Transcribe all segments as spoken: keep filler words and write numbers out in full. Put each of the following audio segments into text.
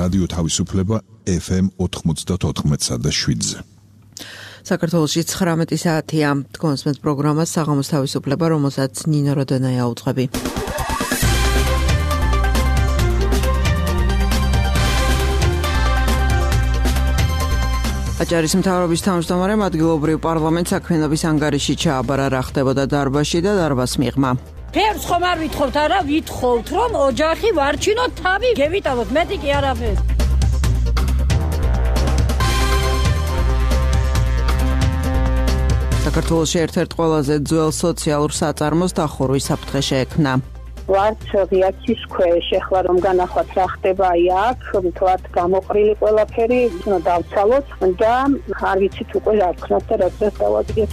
რადიო თავისუფლება ეფ ემ ოთხმოცდაოთხ და შვიდზე. საქართველოში ცხრამეტი საათია. თქვენს მე პროგრამას საღამოს თავისუფლება, რომელსაც ნინო როდონაია უძღვები. აჭარის მთავრობის თავმჯდომარემ ადგილობრივ პარლამენტს საქმიანობის ანგარიში ჩააბარა, რა ხდებოდა დარბაზში და დარბაზს მიღმა. ფერს ხომ არ ვითხოვთ, არა, ვითხოვთ, რომ ოჯახი ვარჩინოთ, თავი გევიტანოთ, მეტი კი არაფერი. საქართველოში ერთ-ერთ ყველაზე ძველ სოციალურ საწარმოს დახურვის საფრთხე შეექმნა. ვართ ღიაცის ქვეშ, ეხლა რომ განახვათ რა ხდება აქ, ვთქვათ გამოყრილი ყველაფერი, უნდა დავცალოთ და არ ვიცით უკვე რა ვქნათ და რა დღეს დავადგეთ.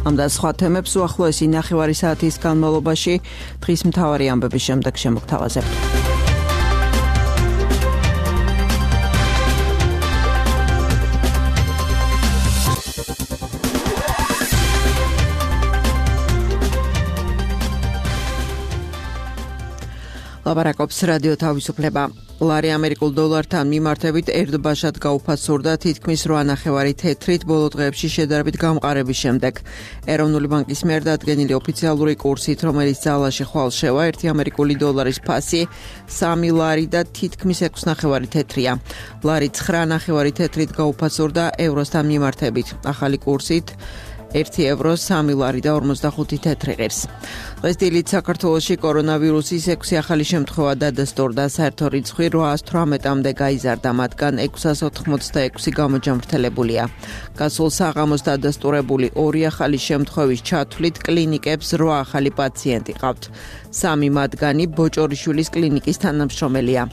ამ და სხვა თემებს უახლოესი ნახევარი საათის განმავლობაში დღის მთავარი ამბების შემდეგ შემოგთავაზებთ. ლაბარაკობს რადიო თავისუფლება. ლარი ამერიკულ დოლართან მიმართებით ერთბაშად გაუფასურდა თითქმის რვა ნახევარი თეთრით ბოლო დღეებში შედარებით გამყარების შემდეგ. ეროვნული ბანკის მიერ დადგენილი ოფიციალური კურსით, რომელიც ძალაში ხვალ შევა, ერთი ამერიკული დოლარის ფასი სამი ლარი და თითქმის ექვს ნახევარი თეთრია. ლარი ცხრა ნახევარი თეთრით გაუფასურდა ევროსთან მიმართებით. ახალი კურსით ერთი ევრო სამი ლარი და ორმოცდახუთი თეთრი ღირს. დღეს დილით საქართველოში კორონავირუსის ექვსი ახალი შემთხვევა დადასტურდა, საერთო რიცხვი რვაას თვრამეტამდე გაიზარდა, მათგან ექვსას ოთხმოცდაექვსი გამოჯამრთელებულია. გასულ საღამოს დადასტურებული ორი ახალი შემთხვევის ჩათვლით კლინიკებს რვა ახალი პაციენტი ყავთ. სამი მათგანი ბოჭორიშვილის კლინიკის თანამშრომელია.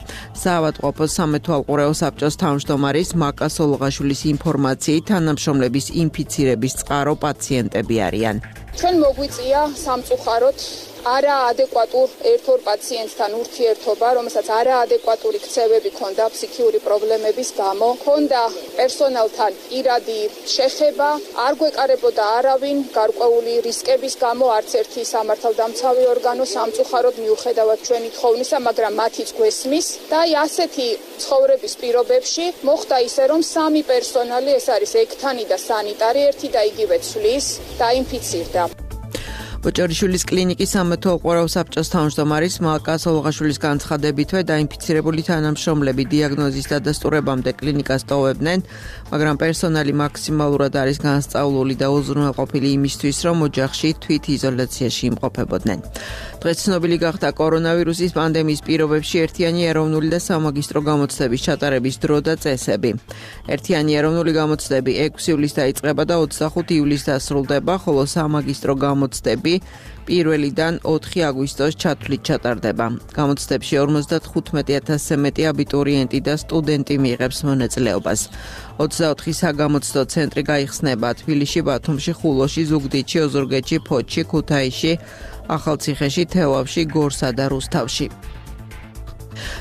საავადმყოფოს სამეთვალყურეო საბჭოს თავმჯდომარის მაკა სოლოღაშვილის ინფორმაციით, თანამშრომლების ინფიცირების წყარო პაციენტები არიან. ჩვენ მოგვიწია სამწუხაროდ არაადეკვატურ ერთ-ორ პაციენტთან ურთიერთობა, რომელსაც არაადეკვატური ქცევები ჰქონდა ფსიქიური პრობლემების გამო, ჰქონდა პერსონალთან პირადი შეხება, არ გვეკარებოდა არავინ გარკვეული რისკების გამო, არც ერთი სამართალდამცავი ორგანო სამწუხაროდ მიუხედავად ჩვენი თხოვნისა, მაგრამ მათიც გვესმის და აი ასეთი ცხოვრების პირობებში მოხდა ისე, რომ სამი პერსონალი, ეს არის ექთანი და სანიტარი, ერთი და იგივე ცვლის, დაინფიცირდა. ბოჭორიშვილის კლინიკის სამეთვალყურეო საბჭოს თავმჯდომარის მაკა სოლოღაშვილის განცხადებითვე დაინფიცირებული თანამშრომლები დიაგნოზის დადასტურებამდე კლინიკას ტოვებდნენ, მაგრამ პერსონალი მაქსიმალურად არის განსწავლული და უზრუნველყოფილი იმისთვის, რომ ოჯახში თვითიზოლაციაში იმყოფებოდნენ. დღეს ცნობილი გახდა კორონავირუსის პანდემიის პირობებში ერთიანი ეროვნული და სამაგისტრო გამოცდების ჩატარების დრო და წესები. ერთიანი ეროვნული გამოცდები ექვსი ივლისს დაიწყება და ოცდახუთი ივლისს დასრულდება, ხოლო სამაგისტრო გამოცდები პირველიდან ოთხი აგვისტოს ჩათვლით ჩატარდება. გამოცდებში ორმოცდათხუთმეტი ათასზე მეტი აბიტურიენტი და სტუდენტი მიიღებს მონაწილეობას. ოცდაოთხი საგამოცდო ცენტრი გაიხსნება თბილისში, ბათუმში, ხულოში, ზუგდიდში, ოზურგეთში, ფოთში, ქუთაისში, ახალციხეში, თელავში, გორსა და რუსთავში.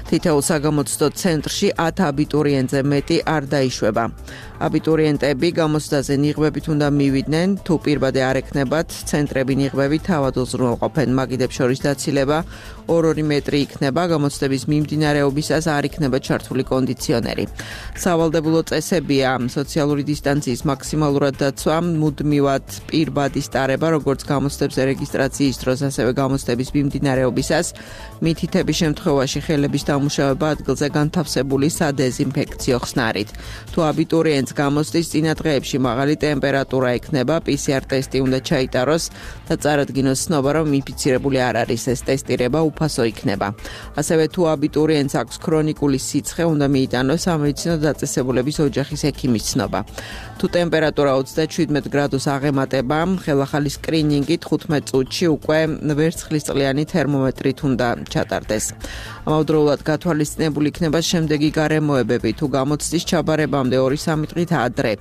თითოეულ საგამოცდო ცენტრში ათ აბიტურიენტზე მეტი არ დაიშვება. აბიტურიენტები გამოცდაზე ნიღბებით უნდა მივიდნენ, თუ პირბადე არ ექნებათ, ცენტრები ნიღბები თავად უზრუნველყოფენ, მაგიდებს შორის დაცილება ორ-ორი მეტრი იქნება, გამოცდების მიმდინარეობისას არ იქნება ჩართული კონდიციონერი. სავალდებულო წესებია სოციალური დისტანციის მაქსიმალურად დაცვა, მუდმივად პირბადის ტარება, როგორც გამოცდების რეგისტრაციის დროს, ასევე გამოცდების მიმდინარეობისას, მითითების შემთხვევაში ხელების დამუშავება ადგილზე განთავსებული სადეზინფექციო ხსნარით. თუ აბიტურიენტს გამოცდის წინა დღეებში მაღალი ტემპერატურა ექნება, პი სი არ ტესტი უნდა ჩაიტაროს და წარადგინოს ცნობა, რომ ინფიცირებული არ არის, ეს ტესტირება უფასო იქნება. ასევე თუ აბიტურიენტს აქვს ქრონიკული სიცხე, უნდა მიიტანოს სამედიცინო დაწესებულების ოჯახის ექიმის ცნობა. თუ ტემპერატურა ოცდაშვიდ გრადუს აღემატება, ხელახალი სკრინინგი თხუთმეტ წუთში უკვე ვერცხლისწყლიანი თერმომეტრით უნდა ჩატარდეს. ამავდროულად გათვალისწინებული იქნება შემდეგი გარემოებები, თუ გამოცდის ჩაბარებამდე ორი-სამი მიტყით ადრე.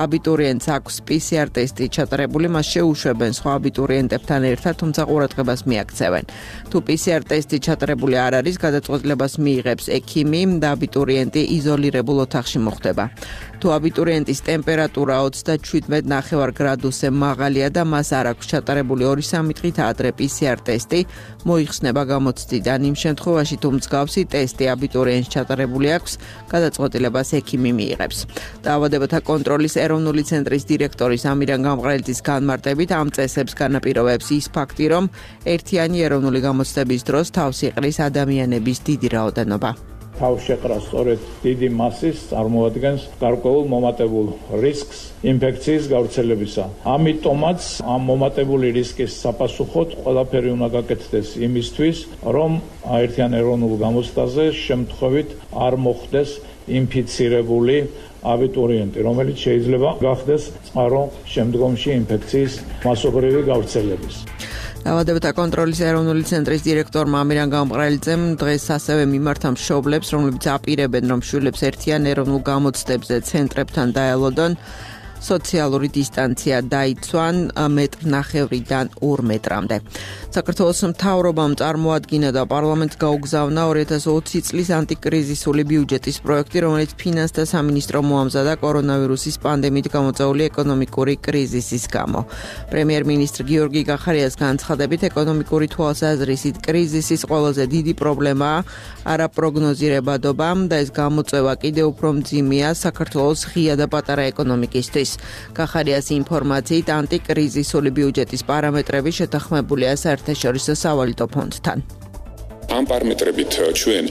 აბიტურიენტს აქვს პი სი არ ტესტი ჩატარებული, მას შეუშვებენ სხვა აბიტურიენტებთან ერთად, თუმცა ყურადღებას მიაქცევენ. თუ პი სი არ ტესტი ჩატარებული არ არის, გადაწყვეტილებას მიიღებს ექიმი და აბიტურიენტი იზოლირებულ ოთახში მოხვდება. თუ აბიტურიენტის ტემპერატურა ოცდაშვიდ ნახევარ გრადუსზე მაღალია და მას არ აქვს ჩატარებული ორი სამი დღით ადრე პი სი არ ტესტი, მოიხსნება გამოცდიდან. იმ შემთხვევაში, თუ მსგავსი ტესტი აბიტურიენტს ჩატარებული აქვს, გადაწყვეტილებას ექიმი მიიღებს. დაავადებათა კონტროლის ეროვნული ცენტრის დირექტორის ამირან გამყრელიძის განმარტებით ამ წესებს განაპირობებს ის ფაქტი, რომ ერთიანი ეროვნული გამოცდების დროს თავს იყრის ადამიანების დიდი რაოდენობა. თავს შეყრა სწორედ დიდი მასის წარმოადგენს გარკვეულ მომატებულ რისკს ინფექციის გავრცელებისა. ამიტომაც ამ მომატებული რისკის საპასუხოდ ყველაფერი უნდა გაკეთდეს იმისთვის, რომ ერთიან ეროვნულ გამოცდაზე შემთხვევით არ მოხდეს ინფიცირებული აბიტურიენტი, რომელიც შეიძლება გახდეს წყარო შემდგომში ინფექციის მასობრივი გავრცელების. დაავადებათა კონტროლის ეროვნული ცენტრის დირექტორმა ამირან გამყრელიძემ დღეს ასევე მიმართა მშობლებს, რომლებიც აპირებენ, რომ შვილებს ერთიან ეროვნულ გამოცდებზე ცენტრებთან დაელოდონ, სოციალური დისტანცია დაიცვან მეტრნახევრიდან ორ მეტრამდე. საქართველოს მთავრობამ წარმოადგინა და პარლამენტს გაუგზავნა ორი ათას ოცი წლის ანტიკრიზისული ბიუჯეტის პროექტი, რომელიც ფინანსთა სამინისტრომ მოამზადა კორონავირუსის პანდემიით გამოწვეული ეკონომიკური კრიზისის გამო. პრემიერ-მინისტრ გიორგი გახარიას განცხადებით, ეკონომიკური თვალსაზრისით კრიზისის ყველაზე დიდი პრობლემაა არაპროგნოზირებადობა და ეს გამოწვევა კიდევ უფრო მძიმეა საქართველოს ღია და პატარა ეკონომიკისთვის. გახარიას ინფორმაციით ანტიკრიზისული ბიუჯეტის პარამეტრები შეთანხმებულია საერთაშორისო სავალუტო ფონდთან. ამ პარამეტრებით ჩვენ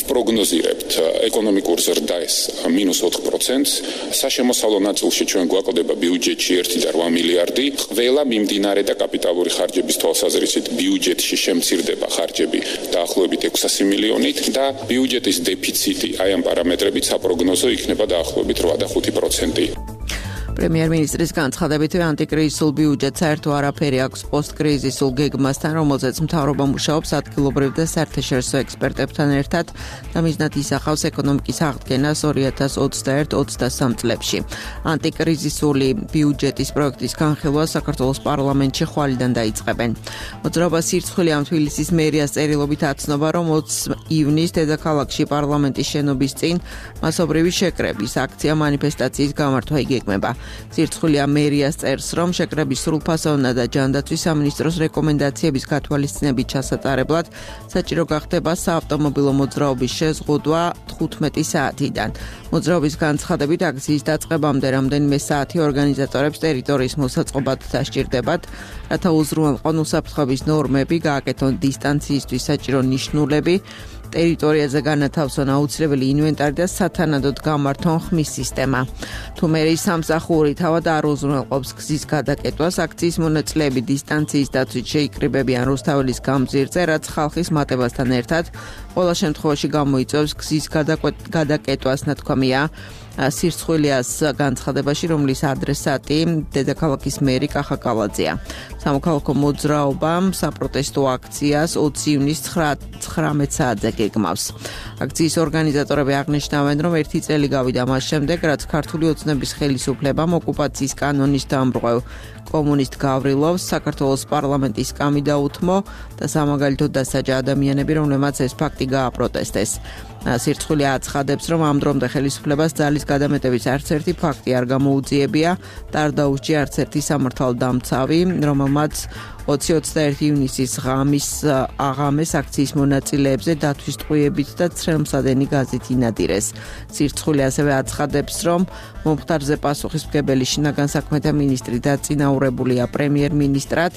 ვპროგნოზირებთ ეკონომიკურ ზრდას მინუს ოთხ პროცენტს, საშემოსავლო ნაწილში ჩვენ გვაკლდება ბიუჯეტში ერთი და რვა მილიარდი, ყველა მიმდინარე და კაპიტალური ხარჯების თვალსაზრისით ბიუჯეტში შემცირდება ხარჯები დაახლოებით ექვსასი მილიონით და ბიუჯეტის დეფიციტი აი ამ პარამეტრებით საპროგნოზო იქნება დაახლოებით რვა და ხუთი პროცენტი. პრემიერ-მინისტრის განცხადებით, ანტიკრიზისულ ბიუჯეტს საერთო არაფერი აქვს პოსტკრიზისულ გეგმასთან, რომელზეც მთავრობა მუშაობს ადგილობრივ და საერთაშორისო ექსპერტებთან ერთად და მიზნად ისახავს ეკონომიკის აღდგენას ორი ათას ოცდაერთ ოცდასამ წლებში. ანტიკრიზისული ბიუჯეტის პროექტის განხილვა საქართველოს პარლამენტში ხვალიდან დაიწყებენ. მოძრაობა სირცხვილი ამ თბილისის მერიას წერილობით აცნობა, რომ ოცი ივნისს დედაქალაქში პარლამენტის შენობის წინ მასობრივი შეკრების აქცია მანიფესტაციის გამართვა იგეგმება. სირცხვილია მერიას წერს, რომ შეკრების სრულფასოვნა და ჯანდაცვის სამინისტროს რეკომენდაციების გათვალისწინებით ჩასატარებლად საჭირო გახდება საავტომობილო მოძრაობის შეზღუდვა თხუთმეტი საათიდან. მოძრაობის განცხადებით აქციის დაწყებამდე რამდენიმე საათი ორგანიზატორებს ტერიტორიის მოსაწყობად დასჭირდებათ, რათა უზრუნველყონ უსაფრთხოების ნორმები, გააკეთონ დისტანციისთვის საჭირო ნიშნულები, ტერიტორიაზე განათავსონ აუცილებელი ინვენტარი და სათანადოდ გამართონ ხმის სისტემა. თუ მერის სამსახური თავად არ უზრუნველყოფს გზის გადაკეტვას, აქციის მონაწილეები დისტანციის დაცვით შეიკრიბებიან რუსთაველის გამზირზე, რაც ხალხის მატებასთან ერთად ყველა შემთხვევაში გამოიწვევს გზის გადაკეტვას, ნათქვამია სირცხვილიას განცხადებაში, რომლის ადრესატი დედაქალაქის მერი კახა კალაძეა. სამოქალაქო მოძრაობამ საპროტესტო აქციას ოცი ივნისს ცხრამეტ საათზე გეგმავს. აქციის ორგანიზატორები აღნიშნავენ, რომ ერთი წელი გავიდა მას შემდეგ, რაც ქართული ოცნების ხელისუფლებამ ოკუპაციის კანონის დამრღვევ კომუნისტ გავრილოვს საქართველოს პარლამენტის კამი დაუთმო და სამაგალითოდ დასაჯა ადამიანები, რომლებმაც ეს ფაქტი გააპროტესტეს. სირცხვილი აცხადებს, რომ ამ დრომდე ხელისუფლებას ძალის გადამეტების არც ერთი ფაქტი არ გამოუძიებია და არ დაუსჯი არც ერთი სამართალდამცავი, რომელმაც ოცი ოცდაერთი ივნისის ღამის აღამეს აქციის მონაწილეებზე დათვის ტყვიებით და ცრემლსადენი გაზით ინადირეს. სირცხვილი ასევე აცხადებს, რომ მომხდარზე პასუხისმგებელი შინაგან საქმეთა მინისტრი დაწინაურებულია პრემიერ-მინისტრად,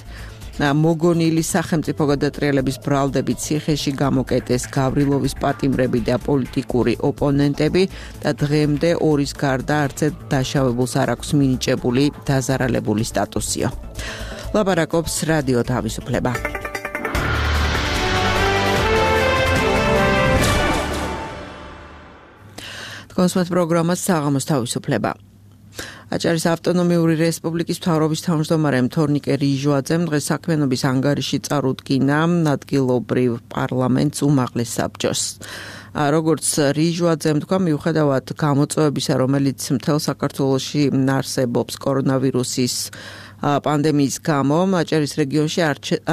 მოგონილი სახელმწიფო გადატრიალების ბრალდებით ციხეში გამოკეტეს გავრილოვის პატიმრები და პოლიტიკური ოპონენტები და დღემდე ორის გარდა არცერთ დაშავებულს არ აქვს მინიჭებული დაზარალებული სტატუსიო. ლაპარაკობს რადიო თავისუფლება. თქვენს პროგრამას საღამოს თავისუფლება. აჭარის ავტონომიური რესპუბლიკის მთავრობის თავმჯდომარემ თორნიკე რიჟვაძემ დღეს საქმიანობის ანგარიში წარუდგინა ადგილობრივ პარლამენტს უმაღლეს საბჭოს. როგორც რიჟვაძემ თქვა, მიუხედავად გამოწვევებისა, რომელიც მთელ საქართველოში არსებობს კორონავირუსის პანდემიის გამო, აჭარის რეგიონში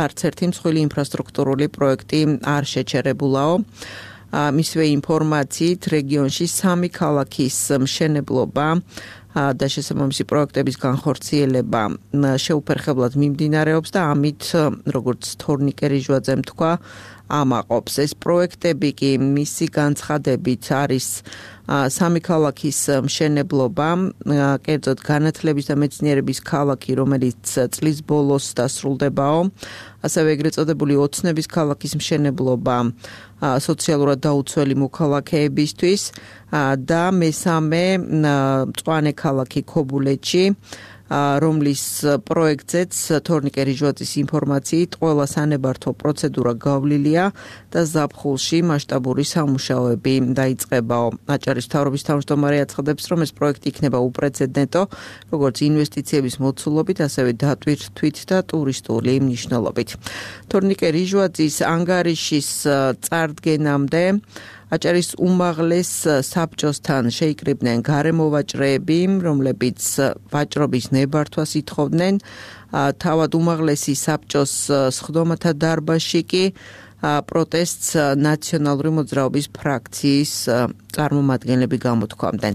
არც ერთი მსხვილი ინფრასტრუქტურული პროექტი არ შეჩერებულაო. მისივე ინფორმაციით, რეგიონში სამი ქალაქის მშენებლობა და შესაბამისი პროექტების განხორციელება შეუფერხებლად მიმდინარეობს და ამით, როგორც თორნიკე რიჟვაძემ თქვა, ამაყობს. ეს პროექტები კი მისი განცხადებით არის სამი ქალაქის მშენებლობა, კერძოდ განათლების და მეცნიერების ქალაქი, რომელიც წლის ბოლოს დასრულდებაო, ასევე ეგრეთ წოდებული ოცნების ქალაქის მშენებლობა სოციალურად დაუცველი მოქალაქეებისთვის და მესამე მწვანე ქალაქი ქობულეთში, რომლის პროექტზეც თორნიკე რიჟვაძის ინფორმაციით ყველა სანებართო პროცედურა გავლილია და ზაფხულში მასშტაბური სამუშაოები დაიწყებაო. აჭარის მთავრობის თავმჯდომარე აცხადებს, რომ ეს პროექტი იქნება უპრეცედენტო, როგორც ინვესტიციების მოცულობით, ასევე დატვირთვით და ტურისტული მნიშვნელობით. თორნიკე რიჟვაძის ანგარიშის წარდგენამდე აჭარის უმაღლეს საბჭოსთან შეიკრიბნენ გარემოვაჭრეები, რომლებიც ვაჭრობის ნებართვას ითხოვდნენ. თავად უმაღლესი საბჭოს სხდომათა დარბაზში კი პროტესტს ნაციონალური მოძრაობის ფრაქციის წარმომადგენლები გამოთქვამდნენ.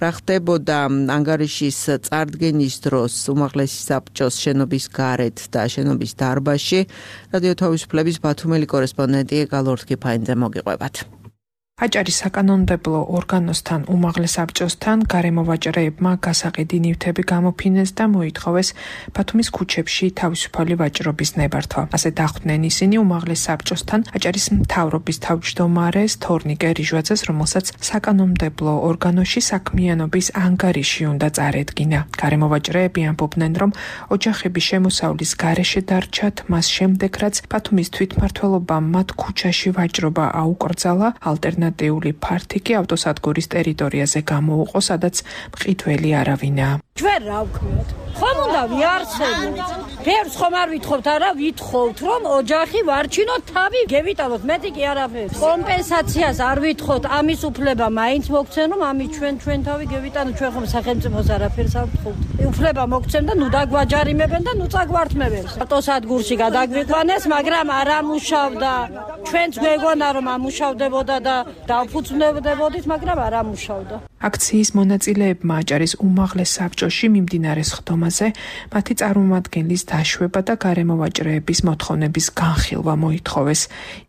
რა ხდებოდა ანგარიშის წარდგენის დროს უმაღლესი საბჭოს შენობის გარეთ და შენობის დარბაზში, რადიო თავისუფლების ბათუმელი კორესპონდენტი გალორთკი ფაინძე მოგიყვებათ. აჭარის საკანონმდებლო ორგანოსთან უმაღლეს საბჭოსთან გარემოვაჭრეებმა გასაყიდი ნივთები გამოფინეს და მოითხოვეს ბათუმის ქუჩებში თავისუფალი ვაჭრობის ნებართვა. ასე დახვდნენ ისინი უმაღლეს საბჭოსთან აჭარის მთავრობის თავმჯდომარეს თორნიკე რიჟვაძეს, რომელსაც საკანონმდებლო ორგანოში საქმიანობის ანგარიში უნდა წარედგინა. გარემოვაჭრეები ამბობდნენ, რომ ოჯახების შემოსავლის გარეშე დარჩათ მას შემდეგ, რაც ბათუმის თვითმმართველობამ მათ ქუჩაში ვაჭრობა აუკრძალა, ალტერნატიული ფართიკი ავტოსადგურის ტერიტორიაზე გამოუყო, სადაც მყიდველი არავინაა. ჩვენ რა ვქნათ? ხომ უნდა ვიარსებოთ? ფერს ხომ არ ვითხოვთ, არა ვითხოვთ, რომ ოჯახი ვარჩინოთ, თავი გევიტანოთ, მეტი კი არაფერი. კომპენსაციას არ ვითხოვთ, ამის უფლება მაინც მოგცენ, რომ ამის ჩვენ ჩვენ თავი გევიტანოთ, ჩვენ ხომ სახელმწიფოს არაფერს არ ვთხოვთ. უფლება მოგცენ და ნუ დაგვაჯარიმებენ და ნუ წაგვართმევენ. ავტოსადგურში გადაგვიყვანეს, მაგრამ არ ამუშავდა. ჩვენც გვეგონა რომ ამუშავდებოდა და დავფუძნებდებოდით, მაგრამ არ ამუშავდა. აქციის მონაწილეებმა აჭარის უმაღლეს საბჭოში მიმდინარე სხდომაზე მათი წარმომადგენლის დაშვება და გარემოვაჭრეების მოთხოვნების განხილვა მოითხოვეს.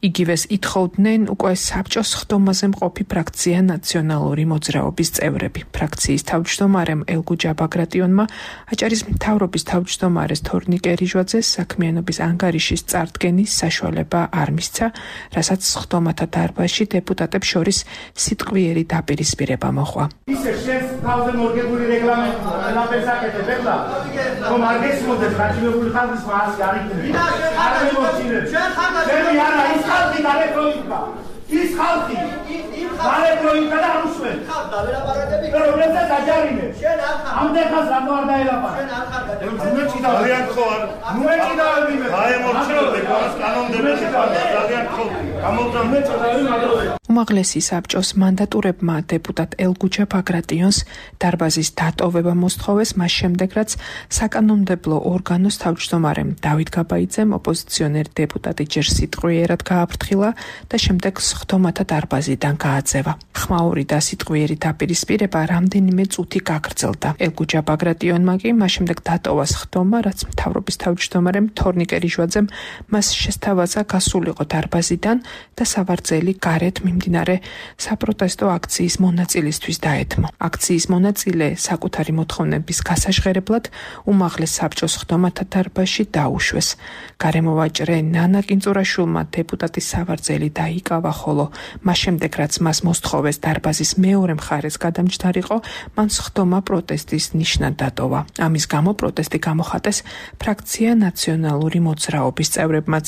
იგივეს ითხოვდნენ უკვე საბჭოს სხდომაზე მყოფი ფრაქცია ნაციონალური მოძრაობის წევრები. ფრაქციის თავმჯდომარემ ელგუჯა ბაგრატიონმა აჭარის მთავრობის თავმჯდომარეს თორნიკე რიჟვაძეს საქმიანობის ანგარიშის წარდგენის საშუალება არ მისცა, რასაც სხდომათა დარბაზში დეპუტატებს შორის სიტყვიერი დაპირისპირება მოჰყვა. ისე შენს თავზე მორგებული რეგლამენტი ყველაფერს აკეთებ ეხლა რომ არ გესმოდეს გაჩინებული ხალხის მასი არ იქნება არ მემოჩინებ შენი არა ის ხალხი დალეფროიკა ის ხალხი დალეფროიკა და რუსვენ დალეფროიკები რომლებსაც აჯარიმე შენ არ ხარ ამდენ ხალხს რატო არ დაელაპარ შენ არ ხარ ნუეჭი და ძალიან ხო არ ნუეჭი და ვიმე გაემორჩილებ კანონმდებლებში ძალიან ხო გამოვდამე უმაღლესი საბჭოს მანდატურებმა დეპუტატ ელგუჯა ბაგრატიონს დარბაზის დატოვება მოსთხოვეს მას შემდეგ, რაც საკანონმდებლო ორგანოს თავმჯდომარემ დავით გაბაიძემ ოპოზიციონერ დეპუტატი ჯერ სიტყვიერად გააფრთხილა და შემდეგ სხდომათა დარბაზიდან გააძევა. ხმაური და სიტყვიერი დაპირისპირება რამდენიმე წუთი გაგრძელდა. ელგუჯა ბაგრატიონმა კი მას შემდეგ დატოვა სხდომა, რაც მთავრობის თავმჯდომარემ თორნიკე რიჟვაძემ მას შესთავაზა გასულიყო დარბაზიდან და სავარძელი გარეთ მიმდინარე საპროტესტო აქციის მონაწილისთვის დაეთმო. აქციის მონაწილე საკუთარი მოთხოვნების გასაჟღერებლად უმაღლეს საბჭოს სხდომათა დარბაზში დაუშვეს. გარემოვაჭრე ნანა კინწურაშვილმა დეპუტატის სავარძელი დაიკავა, ხოლო მას შემდეგ, რაც მას მოსთხოვეს დარბაზის მეორე მხარეს გადამჯდარიყო, მან სხდომა პროტესტის ნიშნად დატოვა. ამის გამო პროტესტი გამოხატეს ფრაქცია ნაციონალური მოძრაობის წევრებმაც.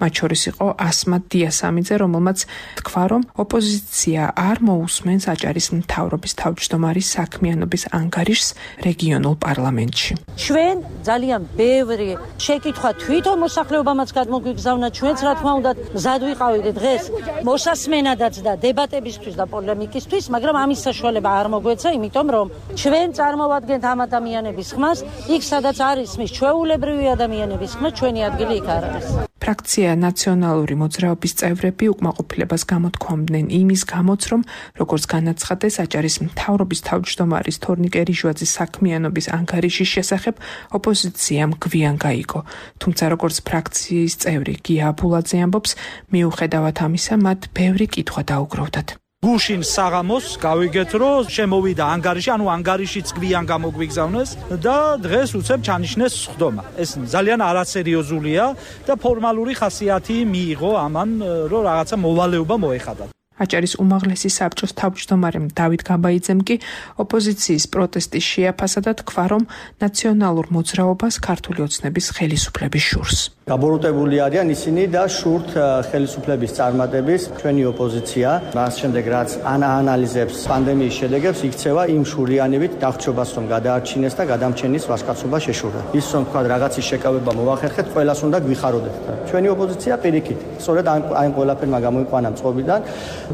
მათ შორის იყო ასმათ დიასამიძე, რომელმაც თქვა, რომ ოპოზიცია არ მოусმენს აჭარის მთავრობის თავმჯდომარის საქმიანობის ანგარიშს რეგიონულ პარლამენტში. ჩვენ ძალიან ბევრი შეკითხვა თვითონ მოსახლეობამაც გადმოგვიგზავნა, ჩვენც რა თქმა უნდა მზად ვიყავით დღეს მოსასმენადაც და დებატებისთვის და პოლემიკისთვის, მაგრამ ამის საშუალება არ მოგვეცა, იმიტომ რომ ჩვენ წარმოვადგენთ ამ ადამიანების ხმას, იქ სადაც არის მის ჩვეულებრივი ადამიანების ხმა, ჩვენი ადგილი იქ არ არის. ფრაქცია ნაციონალური მოძრაობის წევრები უკმაყოფილებას გამოთქვამდნენ იმის გამოც, რომ როგორც განაცხადეს აჭარის მთავრობის თავმჯდომარის თორნიკე რიჟვაძის საქმიანობის ანგარიშის შესახებ ოპოზიციამ გვიან გაიგო. თუმცა როგორც ფრაქციის წევრი გია აბულაძე ამბობს, მიუხედავად ამისა, მათ ბევრი კითხვა დაუგროვდათ. გუშინ საღამოს გავიგეთ, რომ შემოვიდა ანგარიში, ანუ ანგარიშიც გვიან გამოგვიგზავნეს და დღეს უცებ ჩანიშნეს სხდომა. ეს ძალიან არასერიოზულია და ფორმალური ხასიათი მიიღო ამან, რომ რაღაცა მოვალეობა მოეხადა. აჭარის უმაღლესი საბჭოს თავმჯდომარემ დავით გაბაიძემ კი ოპოზიციის პროტესტის შეაფასა და თქვა, რომ ნაციონალურ მოძრაობას ქართული ოცნების ხელისუფლების შურს. გაბოროტებული არიან ისინი და შურთ ხელისუფლების წარმატების ჩვენი ოპოზიცია. მას შემდეგ რაც ანალიზებს პანდემიის შედეგებს, იქცევა იმ შურიანებით დახრჩობას, რომ გადაარჩინეს და გადამჩენის ვასკაცობა შეშურდა. ის რომ თქვა რაღაცის შეკავება მოახერხეთ, ყველას უნდა გვიხაროდეთ. ჩვენი ოპოზიცია პირიქით, სწორედ ამ ყველაფერმა გამოიყვანა მწყობიდან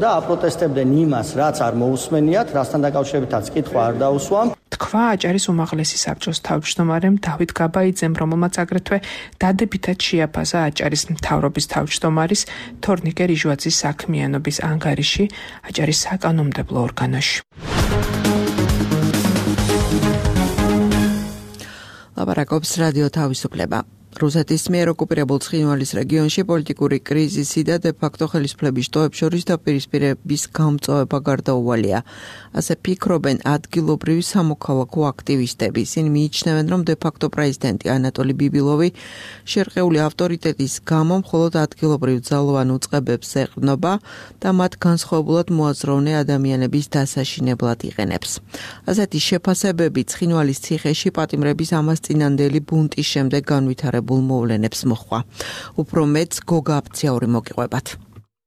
და აპროტესტებდნენ იმას, რაც არ მოусმენიათ, რასთან დაკავშირებითაც კითხვა არ დაუსვამ. თქვა აჭარის უმაღლესი საბჭოს თავმჯდომარემ დავით გაბაიძემ, რომელმაც აგრეთვე დადებითად შეაფასა აჭარის მთავრობის თავმჯდომარის თორნიკე რიჟვაძის საქმიანობის ანგარიში აჭარის საკანონმდებლო ორგანოში. ლაპარაკობს რადიო თავისუფლება. რუსეთის მიერ ოკუპირებულ ცხინვალის რეგიონში პოლიტიკური კრიზისი და დე-ფაქტო ხელისუფლების შტოებს შორის დაპირისპირების გამწვავება გარდაუვალია. ასე ფიქრობენ ადგილობრივი სამოქალაქო აქტივისტები. ისინი მიიჩნევენ, რომ დე-ფაქტო პრეზიდენტი ანატოლი ბიბილოვი შერყეული ავტორიტეტის გამო მხოლოდ ადგილობრივ ძალოვან უწყებებს ეყრდნობა და მათ განსხვავებულად მოაზროვნე ადამიანების დასაშინებლად იყენებს. ასეთი შეფასებები ცხინვალის ციხეში პატიმრების ამასწინანდელი ბუნტის შემდეგ განვითარებულ მოვლენებს მოხვა. უფრო მეც გოგა აფციაური მოგიყვებათ.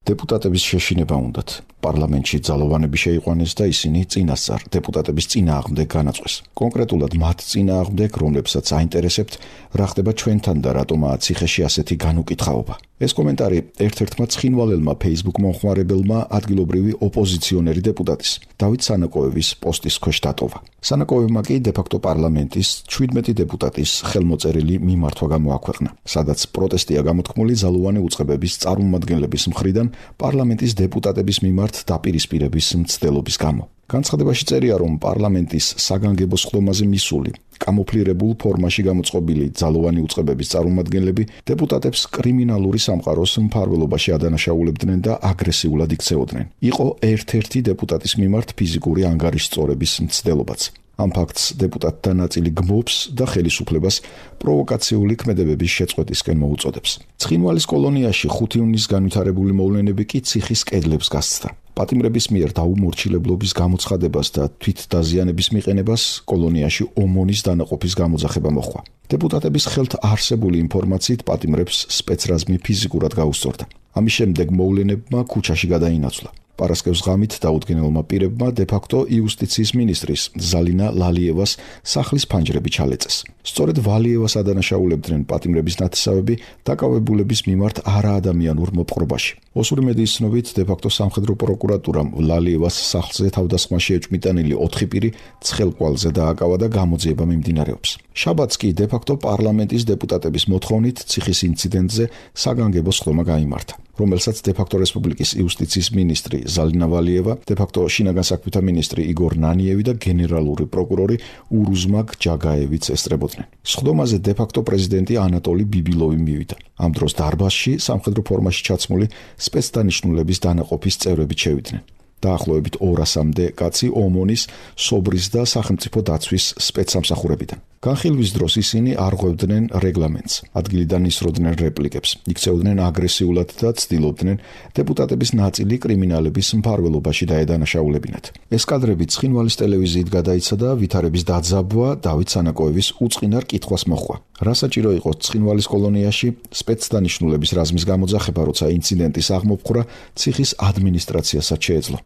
დეპუტატების შეშინება უნდათ. პარლამენტში ძალოვანები შეიყვანეს და ისინი წინასწარ დეპუტატების წინააღმდეგ განაწყვეს. კონკრეტულად მათ წინააღმდეგ, რომლებსაც აინტერესებთ, რა ხდება ჩვენთან და რატომაა ციხეში ასეთი განუკითხაობა. ეს კომენტარი ერთ-ერთმა ცხინვალელმა Facebook მომხმარებელმა ადგილობრივი ოპოზიციონერი დეპუტატის დავით სანაკოევის პოსტის ქვეშ დატოვა. სანაკოევმა კი დე-ფაქტო პარლამენტის ჩვიდმეტი დეპუტატის ხელმოწერილი მიმართვა გამოაქვეყნა, სადაც პროტესტია გამოთქმული ძალოვანი უწყებების წარმომადგენლების მხრიდან პარლამენტის დეპუტატების მიმართ დაპირისპირების მცდელობის გამო. განცხადებაში წერია, რომ პარლამენტის საგანგებო სხდომაზე მისული კამოფლირებულ ფორმაში გამოწყობილი ძალოვანი უწყებების წარმომადგენლები დეპუტატებს კრიმინალური სამყაროს მფარველობაში ადანაშაულებდნენ და აგრესიულად იქცეოდნენ. იყო ერთ-ერთი დეპუტატის მიმართ ფიზიკური ანგარიშწორების მცდელობაც. ამ ფაქტს დეპუტატთა ნაწილი გმობს და ხელისუფლებას პროვოკაციული ქმედებების შეწყვეტისკენ მოუწოდებს. ცხინვალის კოლონიაში ხუთი ივნის განვითარებული მოვლენები კი ციხის კედლებს გასცდა. პატიმრების მიერ დაუმორჩილებლობის გამოცხადებას და თვითდაზიანების მიყენებას კოლონიაში ომონის დანაყოფის გამოძახება მოხდა. დეპუტატების ხელთ არსებული ინფორმაციით პატიმრებს სპეცრაზმი ფიზიკურად გაუსწორდა. ამის შემდეგ მოვლენებმა ქუჩაში გადაინაცვლა. პარასკევს ღამით დაუდგენელმა პირებმა დე-ფაქტო იუსტიციის მინისტრის ზალინა ვალიევას სახლის ფანჯრები ჩალეწეს. სწორედ ვალიევას ადანაშაულებდნენ პატიმრების ნათესავები დაკავებულების მიმართ არაადამიანურ მოპყრობაში. ოსური მედიის ცნობით დე-ფაქტო სამხედრო პროკურატურამ ვალიევას სახლზე თავდასხმაში ეჭვმიტანილი ოთხი პირი ცხელკვალზე დააკავა და გამოძიება მიმდინარეობს. შაბათს კი დე-ფაქტო პარლამენტის დეპუტატების მოთხოვნით ციხის ინციდენტზე საგანგებო სხდომა გაიმართა, რომელსაც დე-ფაქტო რესპუბლიკის იუსტიციის მინისტრი ზალინა ვალიევა, დე-ფაქტო შინაგან საქმეთა მინისტრი იგორ ნანიევი და გენერალური პროკურორი ურუზმაგ ჯაგაევიც ესწრებოდნენ. სხდომაზე დე-ფაქტო პრეზიდენტი ანატოლი ბიბილოვი მივიდა. ამ დროს დარბაზში სამხედრო ფორმაში ჩაცმული სპეცდანიშნულების დანაყოფის წევრები შევიდნენ. დაახლოებით ორასამდე კაცი ომონის, სობრის და სახელმწიფო დაცვის სპეცსამსახურებიდან. განხილვის დროს ისინი არღვევდნენ რეგლამენტს, ადგილიდან ისროდნენ რეპლიკებს, იქცეოდნენ აგრესიულად და ცდილობდნენ დეპუტატების ნაწილი კრიმინალების მფარველობაში დაედანაშაულებინათ. ეს კადრები ცხინვალის ტელევიზიით გადაიცა და ვითარების დაძაბვა დავით სანაკოევის უწყინარ კითხვას მოჰყვა. რა საჭირო იყო ცხინვალის კოლონიაში სპეცდანიშნულების რაზმის გამოძახება, როცა ინციდენტის აღმოფხვრა ციხის ადმინისტრაციასაც შეეძლო.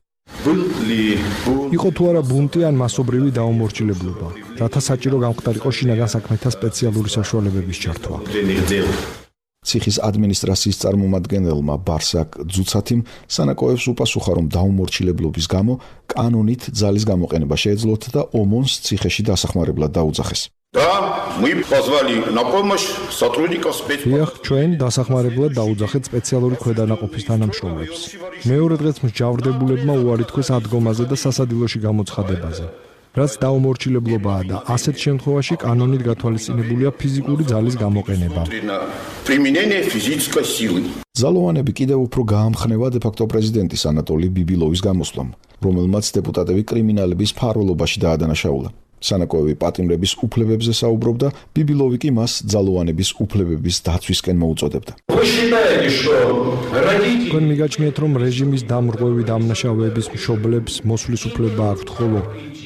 იყო თუ არა ბუნტი ან მასობრივი დაუმორჩილებლობა, რათა საჭირო გამხდარიყო შინაგან საქმეთა სპეციალური საშუალებების ჩართვა. ციხის ადმინისტრაციის წარმომადგენელმა ბარსაკ ძუცათიმ სანაკოევს უპასუხა, რომ დაუმორჩილებლობის გამო კანონით ძალის გამოყენება შეეძლოთ და ომონს ციხეში დასახმარებლად დაუძახეს. და мы позвали на помощь сотрудников спецслужб. ჩვენ დასახმარებლად დაუძახეთ სპეციალური ქვედანაყოფის თანამშრომლებს. მეორე დღეს მსჯავრდებულებმა უარი თქვეს ადგომაზე და სასადილოში გამოცხადებაზე. რაც დაუმორჩილებლობაა და ასეთ შემთხვევაში კანონით გათვალისწინებულია ფიზიკური ძალის გამოყენება. ძალოვანები კიდევ უფრო გაამხნევა დე-ფაქტო პრეზიდენტის ანატოლი ბიბილოვის გამოსვლამ, რომელმაც დეპუტატები კრიმინალების მფარველობაში დაადანაშაულა. სანაკოევი პატიმრების უფლებებზე საუბრობდა, ბიბილოვი კი მას ძალოვანების უფლებების დაცვისკენ მოუწოდებდა. თქვენ მიგაჩნიეთ, რომ რეჟიმის დამრღვევი დამნაშავეების მშობლებს მოსვლის უფლება აქვთ, ხოლო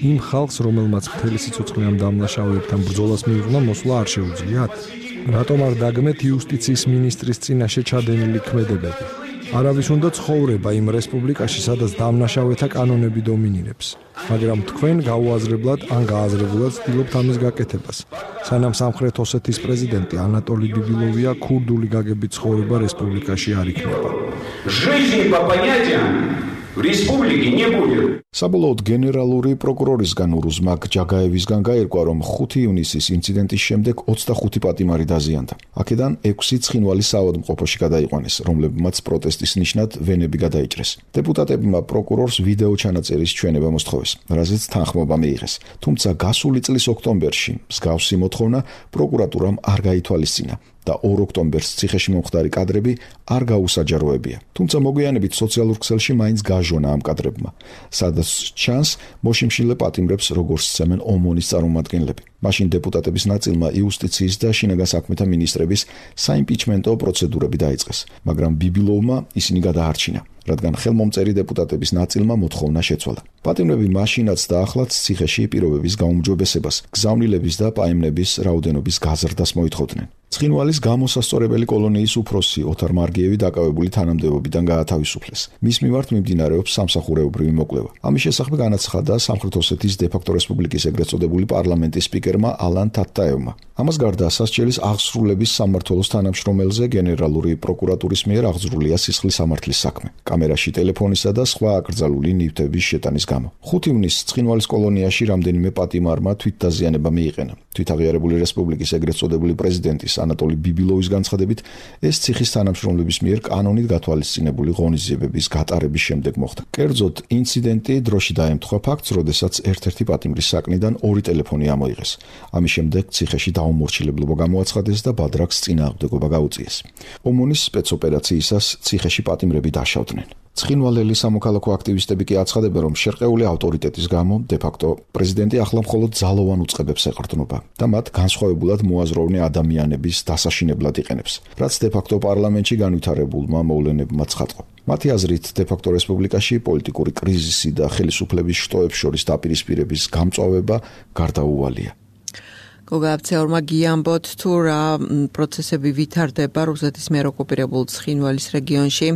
იმ ხალხს, რომელმაც მთელი სიცოცხლე ამ დამნაშავეებთან ბრძოლას მიუღნა, მოსვლა არ შეუძლიათ? რატომ არ დაგმეთ იუსტიციის მინისტრის წინაშე ჩადენილი ქმედებები? არავის უნდა ცხოვრება იმ რესპუბლიკაში, სადაც დამნაშავეთა კანონები დომინირებს. მაგრამ თქვენ გაუაზრებლად ან გააზრებულად ცდილობთ ამის გაკეთებას. სანამ სამხრეთ ოსეთის პრეზიდენტი ანატოლი ბიბილოვია, ქურდული გაგებით ცხოვრება რესპუბლიკაში არ იქნება. საბოლოოდ გენერალური პროკურორისგან ურუზმაკ ჯაგაევისგან გაირკვა, რომ ხუთი ივნისის ინციდენტის შემდეგ ოცდახუთი პატიმარი დაზიანდა. აქედან ექვსი ცხინვალის საავადმყოფოში გადაიყვანეს, რომლებმაც პროტესტის ნიშნად ვენები გადაიჭრეს. დეპუტატებმა პროკურორს ვიდეო ჩანაწერის ჩვენება მოსთხოვეს, რაზეც თანხმობა მიიღეს. თუმცა გასული წლის ოქტომბერში მსგავსი მოთხოვნა პროკურატურამ არ გაითვალისწინა და ორ ოქტომბერს ციხეში მომხდარი კადრები არ გაუსაჯაროებია. თუმცა მოგვიანებით სოციალურ ქსელში მაინც გაჟონა ამ კადრებმა, სადაც ჩანს მოშიმშილე პატიმრებს, როგორც სცემენ ომონის წარმომადგენლები. მაშინ დეპუტატების ნაწილმა იუსტიციის და შინაგან საქმეთა მინისტრების საიმპიჩმენტო პროცედურები დაიწყეს, მაგრამ ბიბილოვმა ისინი გადაარჩინა, რადგან ხელმომწერი დეპუტატების ნაწილმა მოთხოვნა შეცვალა. პატიმრები მაშინაც და ახლაც ციხეში პირობების გაუმჯობესებას, გზავნილების და პაემნების რაოდენობის გაზრდას მოითხოვდნენ. ცხინვალის გამოსასწორებელი კოლონიის უფროსი ოთარ მარგიევი დაკავებული თანამდებობიდან გაათავისუფლეს. მის მიმართ მიმდინარეობს სამსახურეობრივი მოკვლევა. ამის შესახებ განაცხადა სამხრეთ ოსეთის დე-ფაქტო რესპუბლიკის ეგრეთ წოდებული პარლამენტის სპიკერმა ალან თატტაევმა. ამას გარდა სასჯელის აღსრულების სამმართველოს თანამშრომელზე გენერალური პროკურატურის მიერ აღძრულია სისხლის სამართლის საქმე, კამერაში ტელეფონისა და სხვა აკრძალული ნივთების შეტანის გამო. ხუთი ივნისს ცხინვალის კოლონიაში რამდენიმე პატიმარმა თვითდაზიანება მიიყენა. თვითაღიარებული რესპუბლიკის ეგრეთ წოდებული პრეზიდენტის ანატოლი ბიბილოვის განცხადებით, ეს ციხის თანამშრომლების მიერ კანონით გათვალისწინებული ღონისძიებების გატარების შემდეგ მოხდა. კერძოდ, ინციდენტი დროში დაემთხვა ფაქტს, როდესაც ერთ-ერთი პატიმრის საკნიდან ორი ტელეფონი ამოიღეს. ამის შემდეგ ციხეში დაუმორჩილებლობა გამოაცხადეს და ბადრაკს წინააღმდეგობა გაუწიეს. ომონის სპეცოპერაციისას ციხეში პატიმრები დაშავდნენ. ცხინვალელი სამოქალაქო აქტივისტები კი აცხადებენ, რომ შერყეული ავტორიტეტის გამო დე-ფაქტო პრეზიდენტი ახლა მხოლოდ ძალოვან უწყებებს ეყრდნობა და მათ განსხვავებულად მოაზროვნე ადამიანების დასაშინებლად იყენებს, რაც დე-ფაქტო პარლამენტში განვითარებულმა მოვლენებმა ცხადყო. მათი აზრით, დე-ფაქტო რესპუბლიკაში პოლიტიკური კრიზისი და ხელისუფლების შტოებს შორის დაპირისპირების გამწვავება გარდაუვალია. გოგააფცეორმა გიამბოთ თუ რა პროცესები ვითარდება რუსეთის მიერ ოკუპირებულ ცხინვალის რეგიონში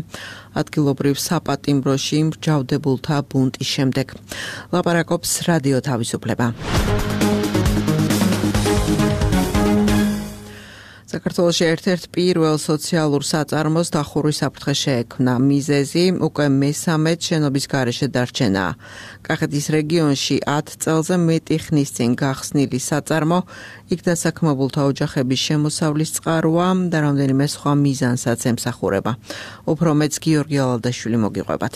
ადგილობრივ საპატიმროში მრჯავრდებულთა ბუნტის შემდეგ. ლაპარაკობს რადიო თავისუფლება. საქართველოში ერთ-ერთ პირველ სოციალურ საწარმოს დახურვის საფრთხე შეექმნა. მიზეზი უკვე მესამედ შენობის გარეშე დარჩენაა. კახეთის რეგიონში ათ წელზე მეტი ხნის წინ გახსნილი საწარმო იქ დასაქმებულთა ოჯახების შემოსავლის წყაროა და რამდენიმე სხვა მიზანსაც ემსახურება. უფრო მეც გიორგი ალალდაშვილი მოგიყვებათ.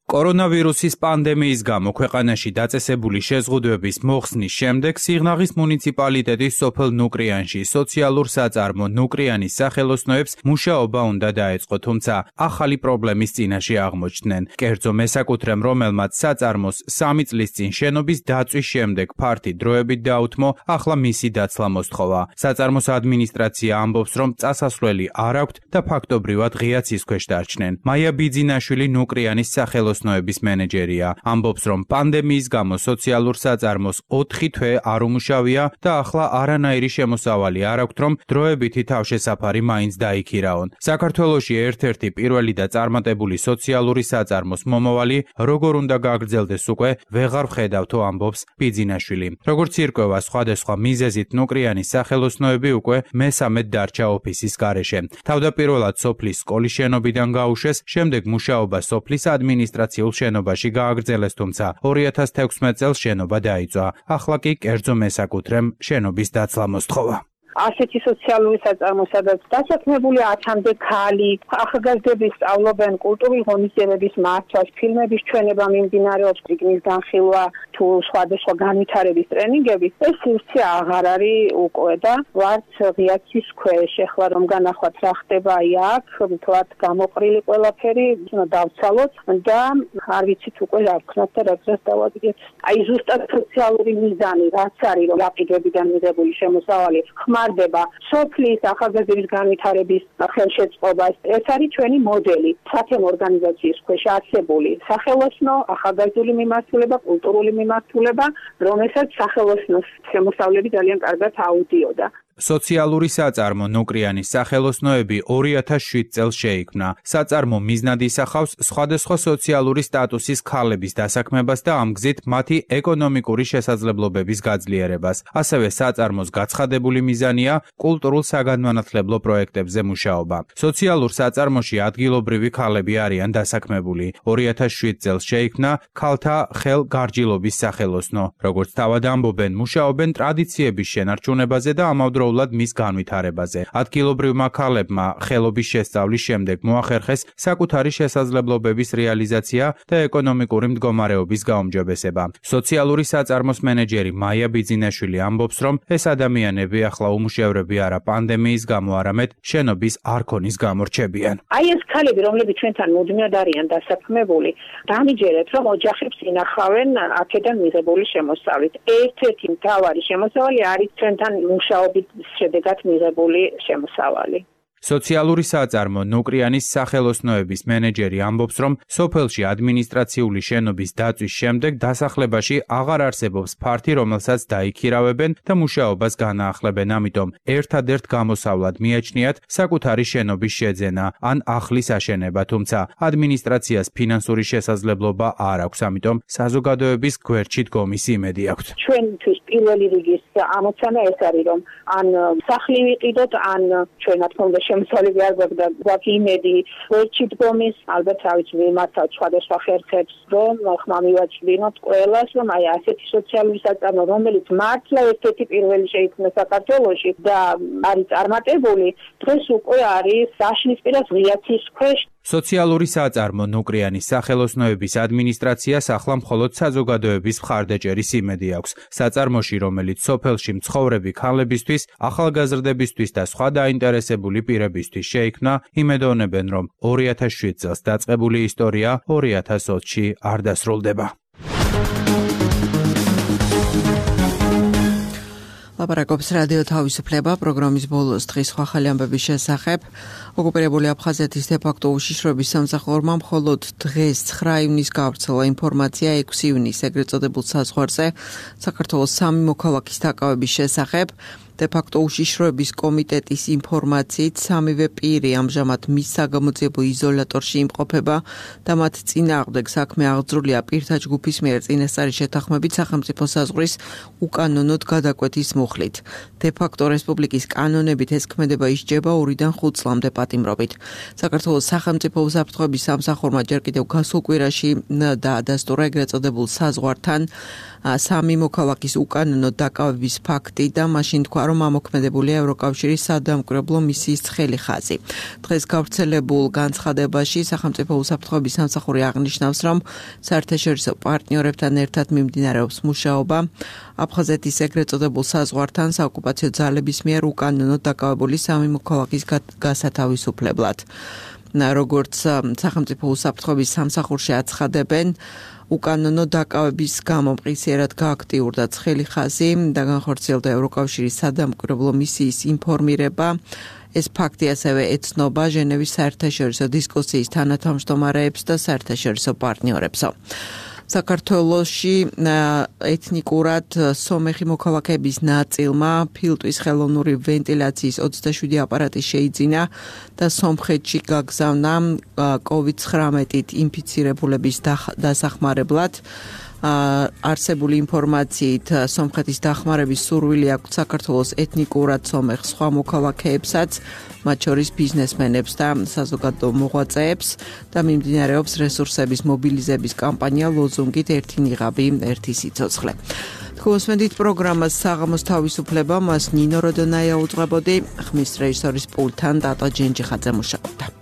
კორონავირუსის პანდემიის გამო ქვეყანაში დაწესებული შეზღუდვების მოხსნის შემდეგ სიღნაღის მუნიციპალიტეტის სოფელ ნუკრიანში სოციალურ საწარმო ნუკრიანის სახელოსნოებს მუშაობა უნდა დაეწყო, თუმცა ახალი პრობლემის წინაშე აღმოჩნდნენ. კერძო მესაკუთრემ, რომელმაც საწარმოს სამი წლის წინ შენობის დაწვის შემდეგ ფართი დროებით დაუთმო, ახლა მისი დაცლა მოსთხოვა. საწარმოს ადმინისტრაცია ამბობს, რომ წასასვლელი არ აქვთ და ფაქტობრივად ღია ცის ქვეშ დარჩნენ. მაია ბიძინაშვილი ნუკრიანის სახელოს νοების მენეჯერია. ამბობს, რომ პანდემიის გამო სოციალურ საწარმოს ოთხი თვე არ უმუშავია და ახლა არანაირი შემოსავალი არ აქვთ, რომ დროებითი თავშესაფარი მაინც დაიქირაონ. საქართველოში ერთ-ერთი პირველი და წარმატებული სოციალური საწარმოს მომავალი როგორ უნდა გაგრძელდეს უკვე ვეღარ ვხედავთო, ამბობს ბიძინაშვილი. როგორც ირკვევა, სხვადასხვა მიზეზით ნუკრიანის სახელოსნოები უკვე მესამედ დარჩა ოფისის გარეშე. თავდაპირველად სოფლის სკოლის შენობიდან გაუშვეს, შემდეგ მუშაობა სოფლის ადმინისტრაციის შენობაში გააგრძელეს, თუმცა ორი ათას თექვსმეტ წელს შენობა დაიწვა. ახლა კი კერძო მესაკუთრემ შენობის დაცლა მოსთხოვა. ასეთი სოციალური საწარმო, სადაც დასაქმებული ათამდე ქალი, ახალგაზრდები სწავლობენ კულტურული ღონისძიებების მართვას, ფილმების ჩვენება მიმდინარეობს, წიგნის განხილვა თუ სხვადასხვა განვითარების ტრენინგები. ეს სივრცე აღარ არის უკვე და ვართ ღია ცის ქვეშ. ეხლა რომ განახვათ რა ხდება აქ, ვთქვათ გამოყრილი ყველაფერი, უნდა დავცალოთ და არ ვიცით უკვე რა ვქნათ და რა დროს დავადგეთ. აი ზუსტად სოციალური მიზანი რაც არის, რომ აპიგებიდან მიღებული შემოსავალი ხმარდება სოფლის ახალგაზრდების განვითარების ხელშეწყობა. ეს არის ჩვენი მოდელი. სათემო ორგანიზაციის ქვეშ არსებული სახელოსნო, ახალგაზრდული მიმართულება, კულტურული მიმართულება, რომელსაც სახელოსნოს შემოსავლები ძალიან კარგად აუდიოდა. სოციალური საწარმო ნუკრიანის სახელოსნოები ორი ათას შვიდ წელს შეიქმნა. საწარმო მიზნად ისახავს სხვადასხვა სოციალური სტატუსის ქალების დასაქმებას და ამ გზით მათი ეკონომიკური შესაძლებლობების გაძლიერებას. ასევე საწარმოს გაცხადებული მიზანია კულტურულ საგანმანათლებლო პროექტებზე მუშაობა. სოციალურ საწარმოში ადგილობრივი ქალები არიან დასაქმებული. ორი ათას შვიდ წელს შეიქმნა ქალთა ხელგარჯილობის სახელოსნო. როგორც თავად ამბობენ, მუშაობენ ტრადიციების შენარჩუნებაზე და ამავდროულად მის განვითარებაზე. ადგილობრივმა ქალებმა ხელობის შესწავლის შემდეგ მოახერხეს საკუთარი შესაძლებლობების რეალიზაცია და ეკონომიკური მდგომარეობის გაუმჯობესება. სოციალური საწარმოს მენეჯერი მაია ბიძინაშვილი ამბობს, რომ ეს ადამიანები ახლა უმუშევრები არა პანდემიის გამო, არამედ შენობის არქონის გამო რჩებიან. აი ეს ქალები, რომლებიც ჩვენთან მუდმივად არიან დასაქმებული, დამიჯერეთ, რომ ოჯახებს ინახავენ აქედან მიღებული შემოსავლით. ერთ-ერთი მთავარი შემოსავალი არის ჩვენთან მუშაობით შედეგად მიღებული შემოსავალი. სოციალური საწარმო ნუკრიანის სახელოსნოების მენეჯერი ამბობს, რომ სოფელში ადმინისტრაციული შენობის დაწვის შემდეგ დასახლებაში აღარ არსებობს ფართი, რომელსაც დაიქირავებენ და მუშაობას განაახლებენ. ამიტომ ერთადერთ გამოსავლად მიაჩნიათ საკუთარი შენობის შეძენა ან ახლის აშენება, თუმცა ადმინისტრაციას ფინანსური შესაძლებლობა არ აქვს, ამიტომ საზოგადოების გვერდში დგომის იმედი აქვთ. ჩვენთვის პირველი რიგის ამოცანა ეს არის, რომ ან სახლი ვიყიდოთ, ან ჩვენ რა თქმა უნდა შემოსავლები არ გვაქვს და გვაქვს იმედი გვერდში დგომის, ალბათ რა ვიცი მიმართავთ სხვადასხვა ხერხებს, რომ ხმა მივაჩვენოთ ყველას, რომ აი ასეთი სოციალური საწარმო, რომელიც მართლა ერთ-ერთი პირველი შეიქმნა საქართველოში და არის წარმატებული, დღეს უკვე არის დაშლის პირას ღია ცის ქვეშ. სოციალური საწარმო ნუკრიანის სახელოსნოების ადმინისტრაციას ახლა მხოლოდ საზოგადოების მხარდაჭერის იმედი აქვს. საწარმოში, რომელიც სოფელში მცხოვრები ქალებისთვის, ახალგაზრდებისთვის და სხვა დაინტერესებული პირებისთვის შეიქმნა, იმედოვნებენ, რომ ორი ათას შვიდ წელს დაწყებული ისტორია ორი ათას ოცში არ დასრულდება. ლაპარაკობს რადიო თავისუფლება პროგრამის ბოლოს დღის სხვა ახალი ამბების შესახებ. ოკუპირებული აფხაზეთის დე-ფაქტო უშიშროების სამსახურმა მხოლოდ დღეს ცხრა ივნისს გავრცელა ინფორმაცია ექვსი ივნისს ეგრეთ წოდებულ საზღვარზე საქართველოს სამი მოქალაქის დაკავების შესახებ. დე-ფაქტო უშიშროების კომიტეტის ინფორმაციით სამივე პირი ამჟამად მის საგამოძიებო იზოლატორში იმყოფება და მათ წინააღმდეგ საქმე აღძრულია პირთა ჯგუფის მიერ წინასწარი შეთანხმებით სახელმწიფო საზღვრის უკანონოდ გადაკვეთის მუხლით. დე-ფაქტო რესპუბლიკის კანონებით ეს ქმედება ისჯება ორიდან ხუთ წლამდე პატიმრობით. საქართველოს სახელმწიფო უსაფრთხოების სამსახურმა ჯერ კიდევ გასულ კვირაში დაადასტურა ეგრეთ წოდებულ საზღვართან სამი მოქალაქის უკანონოდ დაკავების ფაქტი და მაშინ თქვა, რომ ამოქმედებულია ევროკავშირის სადამკვირვებლო მისიის ცხელი ხაზი. დღეს გავრცელებულ განცხადებაში სახელმწიფო უსაფრთხოების სამსახური აღნიშნავს, რომ საერთაშორისო პარტნიორებთან ერთად მიმდინარეობს მუშაობა აფხაზეთის ეგრეთ წოდებულ საზღვართან საოკუპაციო ძალების მიერ უკანონოდ დაკავებული სამი მოქალაქის გასათავისუფლებლად. როგორც სახელმწიფო უსაფრთხოების სამსახურში აცხადებენ, უკანონო დაკავების გამო მყისიერად გააქტიურდა ცხელი ხაზი და განხორციელდა ევროკავშირის სადამკვირვებლო მისიის ინფორმირება. ეს ფაქტი ასევე ეცნობა ჟენევის საერთაშორისო დისკუსიის თანათავმჯდომარეებს და საერთაშორისო პარტნიორებსო. საქართველოში ეთნიკურად სომეხი მოქალაქეების ნაწილმა ფილტვის ხელოვნური ვენტილაციის ოცდაშვიდი აპარატი შეიძინა და სომხეთში გაგზავნა კოვიდ ცხრამეტით ინფიცირებულების დასახმარებლად. არსებული ინფორმაციით სომხეთის დახმარების სურვილი აქვს საქართველოს ეთნიკურად სომეხ სხვა მოქალაქეებსაც, მათ შორის ბიზნესმენებს და საზოგადო მოღვაწეებს და მიმდინარეობს რესურსების მობილიზების კამპანია ლოზუნგით ერთი ნიღაბი, ერთი სიცოცხლე. თქვენსმენდით პროგრამას საღამოს თავისუფლება, მას ნინო როდონაია უძღვებოდი, ხმის რეჟისორის პულტთან დატა ჯენჯიხაძე მუშაობდა.